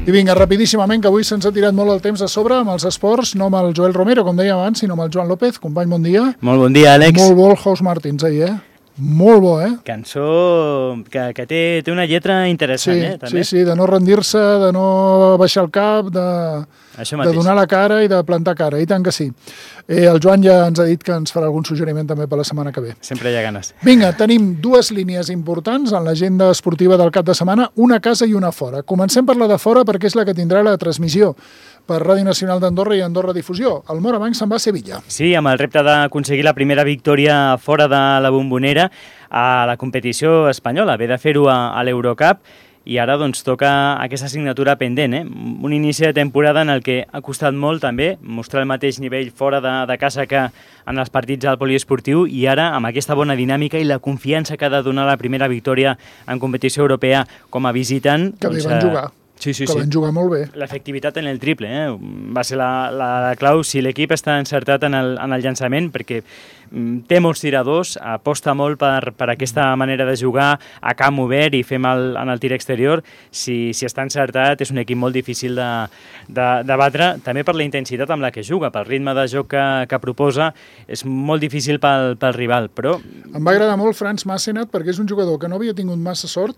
I vinga, rapidíssimament, que avui se'ns ha tirat molt el temps a sobre amb els esports, no amb el Joel Romero, com dèiem abans, sinó amb el Joan López. Company, bon dia. Molt bon dia, Àlex. Molt bo el House Martins ahir, Molt bo, Cançó que té una lletra interessant, també. Sí, de no rendir-se, de no baixar el cap, de donar la cara i de plantar cara, i tant que sí. El Joan ja ens ha dit que ens farà algun suggeriment també per la setmana que ve. Sempre hi ha ganes. Vinga, tenim dues línies importants en l'agenda esportiva del cap de setmana, una a casa i una a fora. Comencem per la de fora perquè és la que tindrà la transmissió per Ràdio Nacional d'Andorra i Andorra Difusió. El Morabanc se'n va a Sevilla. Sí, amb el repte d'aconseguir la primera victòria fora de la Bombonera a la competició espanyola. Ve de fer-ho a l'Eurocup i ara doncs toca aquesta assignatura pendent. Un inici de temporada en el que ha costat molt també mostrar el mateix nivell fora de casa que en els partits al poliesportiu, i ara amb aquesta bona dinàmica i la confiança que ha de donar la primera victòria en competició europea com a visitant. Que bé van jugar. Sí. Van jugar molt bé. L'efectivitat en el triple va ser la clau. Si l'equip està encertat en el llançament, perquè té molts tiradors, aposta molt per aquesta manera de jugar a camp obert i fer mal en el tir exterior. Si està encertat, és un equip molt difícil de batre, també per la intensitat amb la que juga, pel ritme de joc que proposa, és molt difícil pel rival, però... Em va agradar molt Franz Massenat perquè és un jugador que no havia tingut massa sort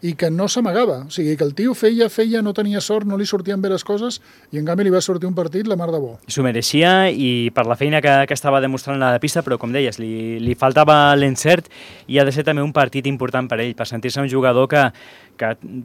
i que no s'amagava, o sigui que el tio feia, no tenia sort, no li sortien bé les coses i en canvi li va sortir un partit la mar de bo. S'ho mereixia i per la feina que estava demostrant a la pista, però com deies, li faltava l'encert i ha de ser també un partit important per ell, per sentir-se un jugador que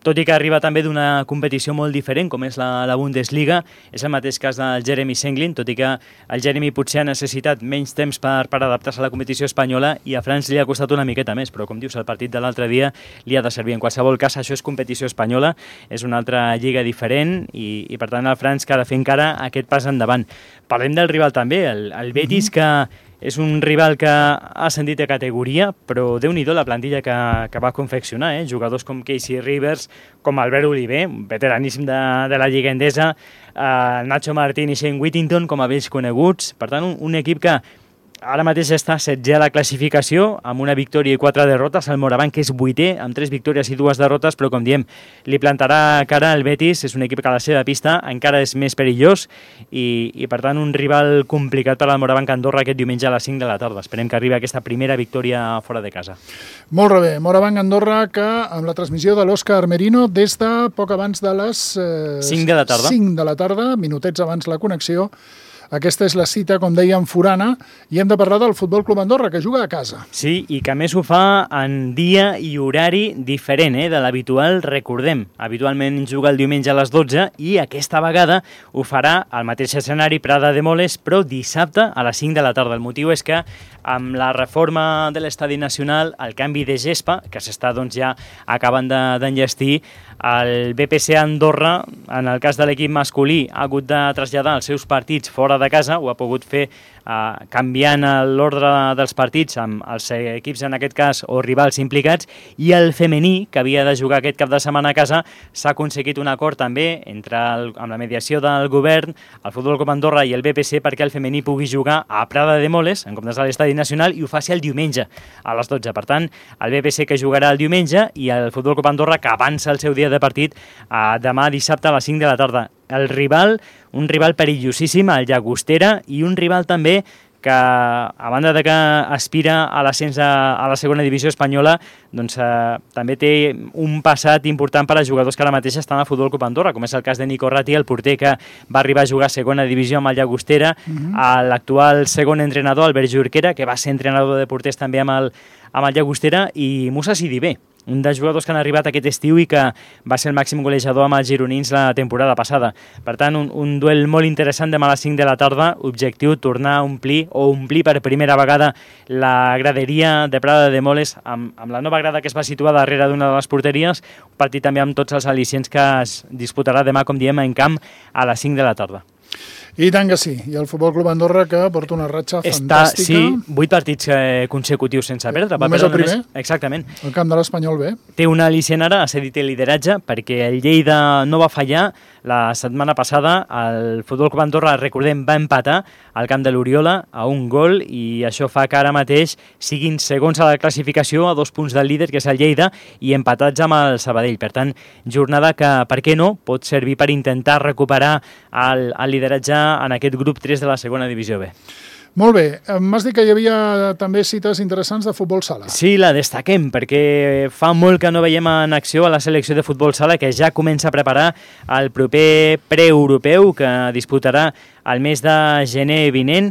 tot i que arriba també d'una competició molt diferent, com és la Bundesliga, és el mateix cas del Jeremy Senglin, tot i que el Jeremy potser ha necessitat menys temps per adaptar-se a la competició espanyola i a Franz li ha costat una miqueta més, però com dius, el partit de l'altre dia li ha de servir. En qualsevol cas, això és competició espanyola, és una altra lliga diferent i per tant el Franz que ha de fer encara aquest pas endavant. Parlem del rival també, el Betis, que és un rival que ha ascendit de categoria, però déu-n'hi-do la plantilla que va confeccionar, jugadors com Casey Rivers, com Albert Oliver, veteraníssim de la Lliga Endesa, Nacho Martín i Shane Whittington com a vells coneguts, per tant un equip que ara mateix està setzer a la classificació amb una victòria i 4 derrotes. El Morabanc, que és 8è, amb 3 victòries i 2 derrotes, però com diem, li plantarà cara al Betis. És un equip que a la seva pista encara és més perillós i per tant un rival complicat per al Morabanc Andorra aquest diumenge a les 5 de la tarda. Esperem que arribi aquesta primera victòria fora de casa. Molt bé, Morabanc Andorra, que amb la transmissió de l'Òscar Merino des de poc abans de les 5 de la tarda. 5 de la tarda, minutets abans la connexió. Aquesta és la cita, com dèiem, forana, i hem de parlar del Futbol Club Andorra, que juga a casa. Sí, i que a més ho fa en dia i horari diferent de l'habitual. Recordem, habitualment juga el diumenge a les 12 i aquesta vegada ho farà al mateix escenari Prada de Moles, però dissabte a les 5 de la tarda. El motiu és que amb la reforma de l'Estadi Nacional, el canvi de gespa, que s'està ja acabant d'enllestir, el BPC Andorra, en el cas de l'equip masculí, ha hagut de traslladar els seus partits fora de casa, ho ha pogut fer canviant l'ordre dels partits amb els equips, en aquest cas, o rivals implicats, i el femení, que havia de jugar aquest cap de setmana a casa, s'ha aconseguit un acord també amb la mediació del govern, el Futbol Club Andorra i el BPC, perquè el femení pugui jugar a Prada de Moles, en comptes de l'Estadi Nacional, i ho faci el diumenge a les 12. Per tant, el BPC que jugarà el diumenge i el Futbol Club Andorra que avança el seu dia de partit demà dissabte a les 5 de la tarda. El rival, un rival perillosíssim, el Llagostera, i un rival també que, a banda de que aspira a l'ascens a la segona divisió espanyola, doncs també té un passat important per a jugadors que ara mateix estan al Futbol Club Andorra, com és el cas de Nico Ratti, el porter que va arribar a jugar a segona divisió amb el Llagostera, l'actual segon entrenador, Albert Jorquera, que va ser entrenador de porters també amb el Llagostera, i Musa Sidibé, un dels jugadors que han arribat aquest estiu i que va ser el màxim golejador amb els gironins la temporada passada. Per tant, un duel molt interessant demà a les 5 de la tarda, objectiu tornar a omplir per primera vegada la graderia de Prada de Moles amb la nova grada que es va situar darrere d'una de les porteries, un partit també amb tots els al·licients que es disputarà demà, com diem, en camp a les 5 de la tarda. I tant que sí. I el Futbol Club Andorra, que porta una ratxa fantàstica. Sí, 8 partits consecutius sense perdre. Només el primer? Exactament. El camp de l'Espanyol B. Té una al·licient ara, ha cedit el lideratge, perquè el Lleida no va fallar. La setmana passada el Futbol Club Andorra, recordem, va empatar al camp de l'Oriola a 1 gol i això fa que ara mateix siguin segons a la classificació a 2 punts del líder, que és el Lleida, i empatats amb el Sabadell. Per tant, jornada que, per què no, pot servir per intentar recuperar el lideratge en aquest grup 3 de la segona divisió B. Molt bé. M'has dit que hi havia també cites interessants de futbol sala. Sí, la destaquem, perquè fa molt que no veiem en acció a la selecció de futbol sala, que ja comença a preparar el proper preeuropeu que disputarà el mes de gener vinent.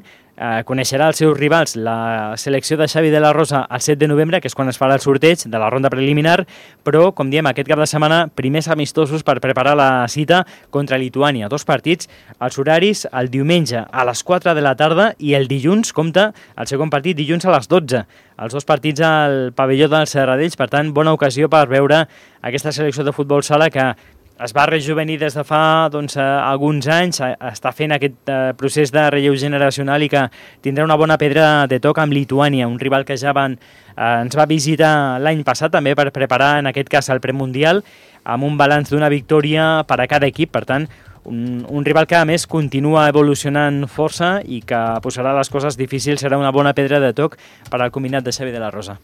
Coneixerà els seus rivals la selecció de Xavi de la Rosa el 7 de novembre, que és quan es farà el sorteig de la ronda preliminar, però, com diem, aquest cap de setmana, primers amistosos per preparar la cita contra Lituània. 2 partits, els horaris el diumenge a les 4 de la tarda i el dilluns, compta, el segon partit dilluns a les 12. Els 2 partits al pavelló dels Serradells, per tant, bona ocasió per veure aquesta selecció de futbol sala que es va rejuvenir des de fa alguns anys, està fent aquest procés de relleu generacional i que tindrà una bona pedra de toc amb Lituània, un rival que ja ens va visitar l'any passat també per preparar en aquest cas el premundial, amb un balanç d'una victòria per a cada equip, per tant, un rival que a més continua evolucionant força i que posarà les coses difícils, serà una bona pedra de toc per al combinat de Xavi de la Rosa.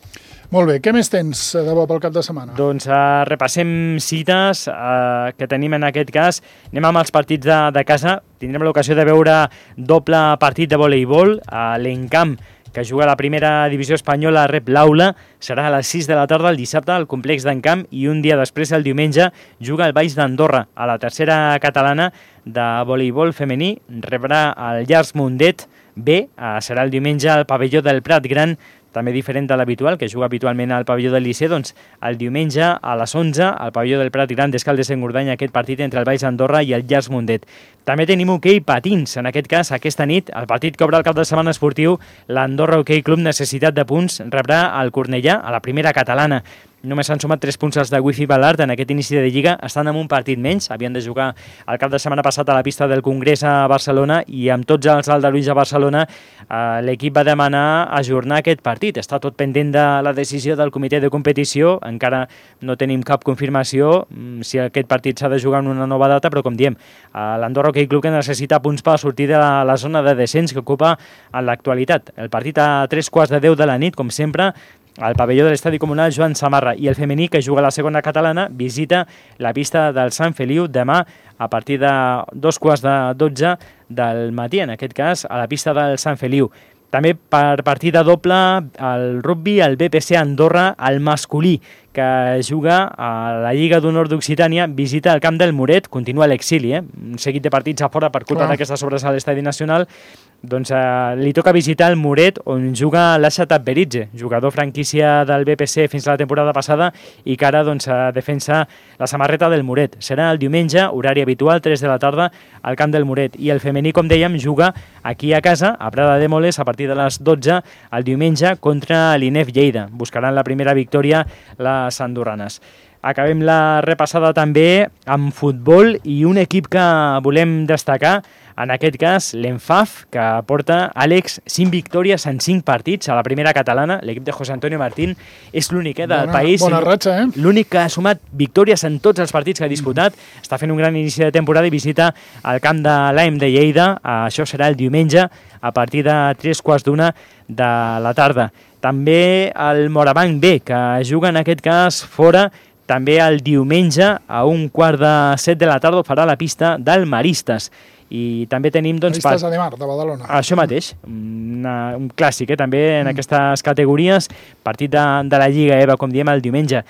Molt bé, què més tens de bo pel cap de setmana? Doncs repassem cites que tenim en aquest cas. Anem amb els partits de casa. Tindrem l'ocasió de veure doble partit de voleibol. L'Encamp, que juga a la primera divisió espanyola, rep l'Aula. Serà a les 6 de la tarda el dissabte al complex d'Encamp i un dia després, el diumenge, juga al Baix d'Andorra. A la tercera catalana de voleibol femení rebrà el Llars Mundet B. Serà el diumenge al pavelló del Prat Gran, també diferent de l'habitual, que juga habitualment al pavelló del Liceu, doncs el diumenge a les 11 al pavelló del Prat Gran d'Escaldes-Engordany, aquest partit entre el Baix d'Andorra i el Llars Mundet. També tenim hoquei patins, en aquest cas aquesta nit, el partit que obre el cap de setmana esportiu, l'Andorra Hoquei Club Necessitat de Punts rebrà el Cornellà a la primera catalana. Només s'han sumat 3 punts els de Wifi Ballard en aquest inici de Lliga, estan amb un partit menys, havien de jugar el cap de setmana passat a la pista del Congrés a Barcelona i amb tots els aldarulls a Barcelona l'equip va demanar ajornar aquest partit. Està tot pendent de la decisió del comitè de competició, encara no tenim cap confirmació si aquest partit s'ha de jugar en una nova data, però com diem, l'Andorra Hoquei Club que necessita punts per sortir de la zona de descens que ocupa en l'actualitat. El partit a 3:15 de la nit, com sempre, al pavelló de l'Estadi Comunal Joan Samarra, i el femení, que juga a la segona catalana, visita la pista del Sant Feliu demà a partir de 2:15 del matí, en aquest cas a la pista del Sant Feliu. També per partida doble el rugby, el BPC Andorra, el masculí, que juga a la Lliga d'Honor d'Occitània, visita el camp del Muret, continua l'exili, un seguit de partits a fora per culpa d'aquestes obres a l'Estadi Nacional. Doncs li toca visitar el Muret, on juga l'Ashat Beritze, jugador franquícia del BPC fins a la temporada passada i que ara defensa la samarreta del Muret. Serà el diumenge, horari habitual, 3 de la tarda, al camp del Muret. I el femení, com dèiem, juga aquí a casa, a Prada de Moles, a partir de les 12, el diumenge, contra l'INEF Lleida. Buscaran la primera victòria les andorranes. Acabem la repassada també amb futbol i un equip que volem destacar, en aquest cas l'Enfaf, que porta, Àlex, 5 victòries en 5 partits a la primera catalana. L'equip de José Antonio Martín és l'únic del país. Bona ratxa, l'únic que ha sumat victòries en tots els partits que ha disputat. Està fent un gran inici de temporada i visita el camp de l'AEM de Lleida. Això serà el diumenge a partir de 3:15 de la tarda. També el Morabanc B, que juga en aquest cas fora, també el diumenge a 6:15 de la tarda ho farà la pista del Maristes. I també tenim... Maristes de Mar, de Badalona. Això mateix, un clàssic, també en aquestes categories, partit de la Lliga EVA, com diem, el diumenge.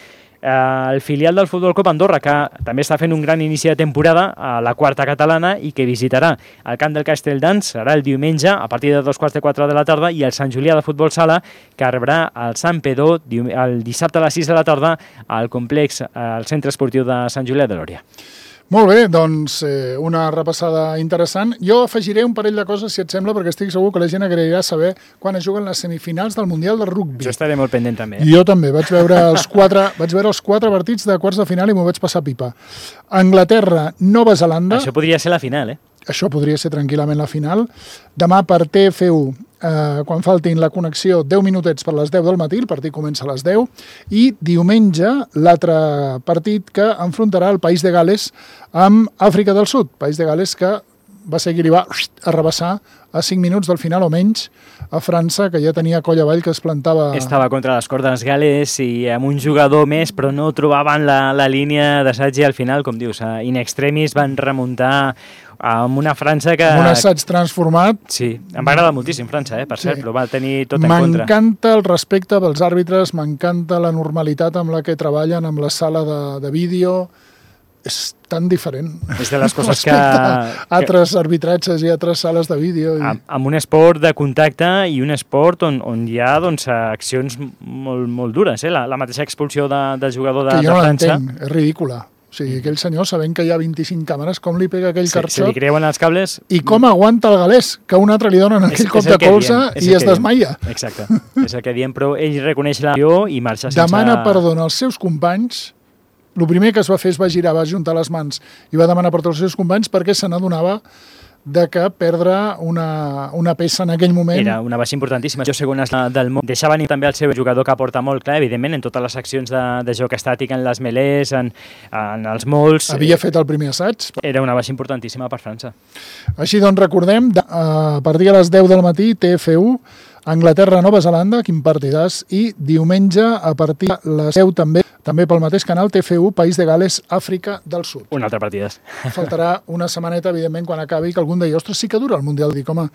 El filial del Futbol Club Andorra, que també està fent un gran inici de temporada a la quarta catalana i que visitarà el camp del Castelldans, serà el diumenge a partir de 3:15 de la tarda, i el Sant Julià de Futbol Sala, que rebrà el Sant Pedó el dissabte a les 6 de la tarda al complex, al centre esportiu de Sant Julià de Lòria. Molt bé, doncs una repassada interessant. Jo afegiré un parell de coses, si et sembla, perquè estic segur que la gent agrairà saber quan es juguen les semifinals del Mundial de Rugby. Jo estaré molt pendent també. Jo també, vaig veure els 4 partits de quarts de final i m'ho vaig passar pipa. Anglaterra, Nova Zelanda... Això podria ser la final, això podria ser tranquil·lament la final. Demà per TF1, quan faltin la connexió 10 minutets per les 10 del matí, el partit comença a les 10, i diumenge l'altre partit que enfrontarà el País de Gales amb Àfrica del Sud. País de Gales que va ser qui li va arrabassar a 5 minuts del final o menys a França, que ja tenia coll avall que es plantava... Estava contra les cordes Gales i amb un jugador més, però no trobaven la línia d'assaig i al final, com dius, in extremis van remuntar amb una França que... Un assaig transformat. Sí, em va agradar moltíssim França, per cert, però va tenir tot en contra. M'encanta el respecte pels àrbitres, m'encanta la normalitat amb la que treballen amb la sala de vídeo. És tan diferent. És de les coses que... altres arbitratges i altres sales de vídeo. Amb un esport de contacte i un esport on hi ha doncs, accions molt dures. La mateixa expulsió del jugador de França. Que jo no l'entenc, és ridícula. O sigui, aquell senyor, sabent que hi ha 25 càmeres, com li pega aquell carxot... Se li creuen els cables... I com aguanta el galès, que un altre li donen aquell cop de colze i es desmaia. Exacte, és el que diem, però ell reconeix l'acció i marxa sense... Demana perdó als seus companys. El primer que es va fer es va girar, va ajuntar les mans i va demanar perdó als seus companys perquè se n'adonava de que perdre una peça en aquell moment... Era una baixa importantíssima. Jo segones del món. Deixava venir també el seu jugador que aporta molt, clar, evidentment, en totes les accions de joc estàtic, en les melés, en els molts... Havia fet el primer assaig. Era una baixa importantíssima per França. Així doncs recordem, a partir de les 10 del matí, TF1, Anglaterra-Nova Zelanda, quin partidàs, i diumenge a partir de les 10 també pel mateix canal, TF1, País de Gales, Àfrica del Sud. Un altre partidàs. Faltarà una setmaneta, evidentment, quan acabi, que algun deia, ostres, sí que dura el Mundial. Dic, home,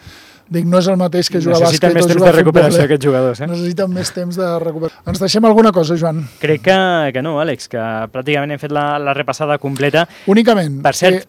no és el mateix que jugar bàsquet o jugar futbol. Necessiten més temps de recuperació aquests jugadors. Necessiten més temps de recuperació. Ens deixem alguna cosa, Joan? Crec que no, Àlex, que pràcticament hem fet la repassada completa. Únicament. Per cert,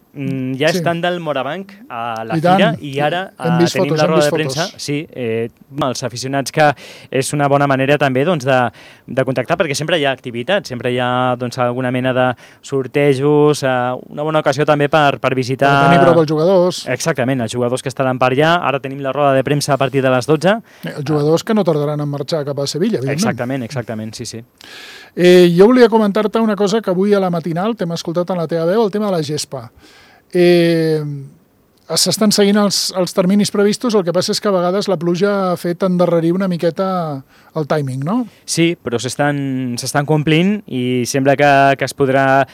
ja estan del Morabanc a la fira i ara tenim la roda de premsa. Sí, els aficionats, que és una bona manera també de contactar, perquè sempre hi ha activitat, sempre hi ha alguna mena de sortejos, una bona ocasió també per visitar... Per tenir prou els jugadors. Exactament, els jugadors que estaran per allà. Ara tenim la roda de premsa a partir de les 12. Els jugadors que no tardaran en marxar cap a Sevilla, evidentment. Exactament, sí. Jo volia comentar-te una cosa que avui a la matinal t'hem escoltat en la teva veu, el tema de la gespa. S'estan seguint els terminis previstos, el que passa és que a vegades la pluja ha fet endarrerir una miqueta el timing, no? Sí, però s'estan complint i sembla que es podrà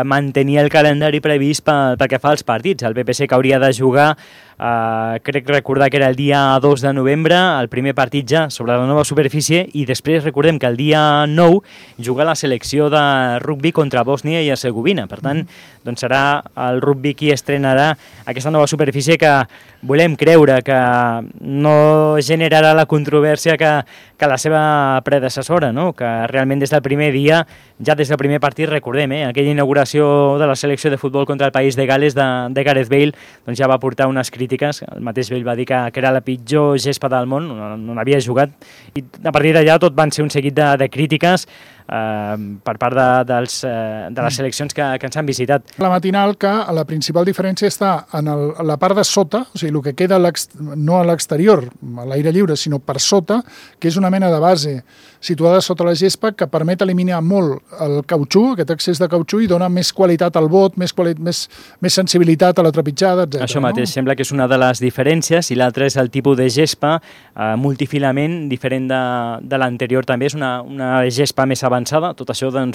mantenir el calendari previst pel que fa als partits. El PPC que hauria de jugar, crec recordar que era el dia 2 de novembre, el primer partit ja sobre la nova superfície, i després recordem que el dia 9 juga la selecció de rugby contra Bòsnia i Hercegovina. Per tant, serà el rugby qui estrenarà aquesta nova superfície, que volem creure que no generarà la controvèrsia que la seva predecessora, no? Que realment des del primer dia, ja des del primer partit, recordem, aquella inauguració de la selecció de futbol contra el País de Gales de Gareth Bale, ja va portar unes crítiques. El mateix Bale va dir que era la pitjor gespa del món, on havia jugat, i a partir d'allà tot van ser un seguit de crítiques per part de les seleccions que ens han visitat. La matinal, que la principal diferència està en la part de sota, o sigui, el que queda no a l'exterior, a l'aire lliure, sinó per sota, que és una mena de base situada sota la gespa que permet eliminar molt el cautxú, aquest excés de cautxú, i dona més qualitat al bot, més sensibilitat a la trepitjada, etc. Això mateix, sembla que és una de les diferències, i l'altra és el tipus de gespa multifilament, diferent de l'anterior també, és una gespa més avançada, tot això de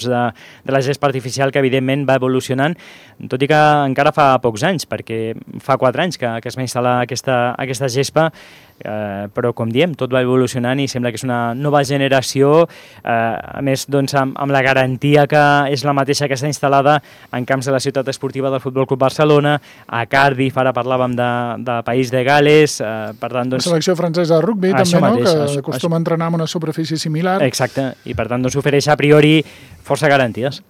la gespa artificial que evidentment va evolucionant, tot i que encara fa pocs anys, perquè fa 4 anys que es va instal·lar aquesta gespa, però com diem, tot va evolucionant i sembla que és una nova generació, a més amb la garantia que és la mateixa que està instal·lada en camps de la ciutat esportiva del Futbol Club Barcelona, a Cardiff, ara parlàvem de País de Gales, per tant... La selecció francesa de rugby també, mateix, no? Que acostuma a entrenar en una superfície similar. Exacte, i per tant ofereix a priori força garanties.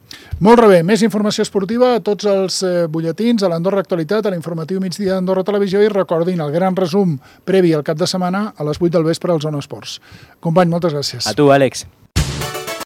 Molt bé, més informació esportiva a tots els butlletins, a l'Andorra Actualitat, a l'informatiu migdia d'Andorra Televisió, i recordin el gran resum previ al cap de setmana a les 8 del vespre al Zona Esports. Company, moltes gràcies. A tu, Àlex.